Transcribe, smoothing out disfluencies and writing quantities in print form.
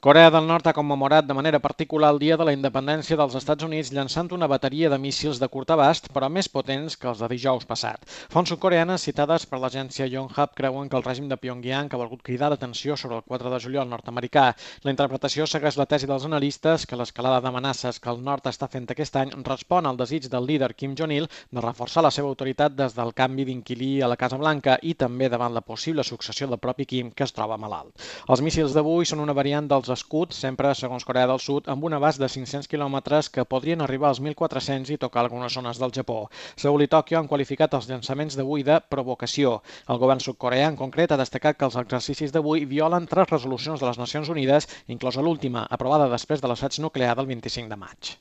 Corea del Nord ha commemorat de manera particular el Dia de la Independència dels Estats Units llançant una bateria de míssils de curt abast, però més potents que els de dijous passat. Fonts sud-coreanes citades per l'agència Yonhap creuen que el règim de Pyongyang ha volgut cridar l'atenció sobre el 4 de juliol nord-americà. La interpretació segueix la tesi dels analistes que l'escalada d'amenaces que el nord està fent aquest any respon al desig del líder Kim Jong-il de reforçar la seva autoritat des del canvi d'inquilí a la Casa Blanca i també davant la possible successió del propi Kim, que es troba malalt. Els míssils d'avui són una variant dels escuts, sempre segons Corea del Sud, amb un abast de 500 quilòmetres que podrien arribar als 1.400 i tocar algunes zones del Japó. Seul i Tòquio han qualificat els llançaments d'avui de provocació. El govern sud-coreà en concret ha destacat que els exercicis d'avui violen 3 resolucions de les Nacions Unides, inclosa l'última, aprovada després de l'assaig nuclear del 25 de maig.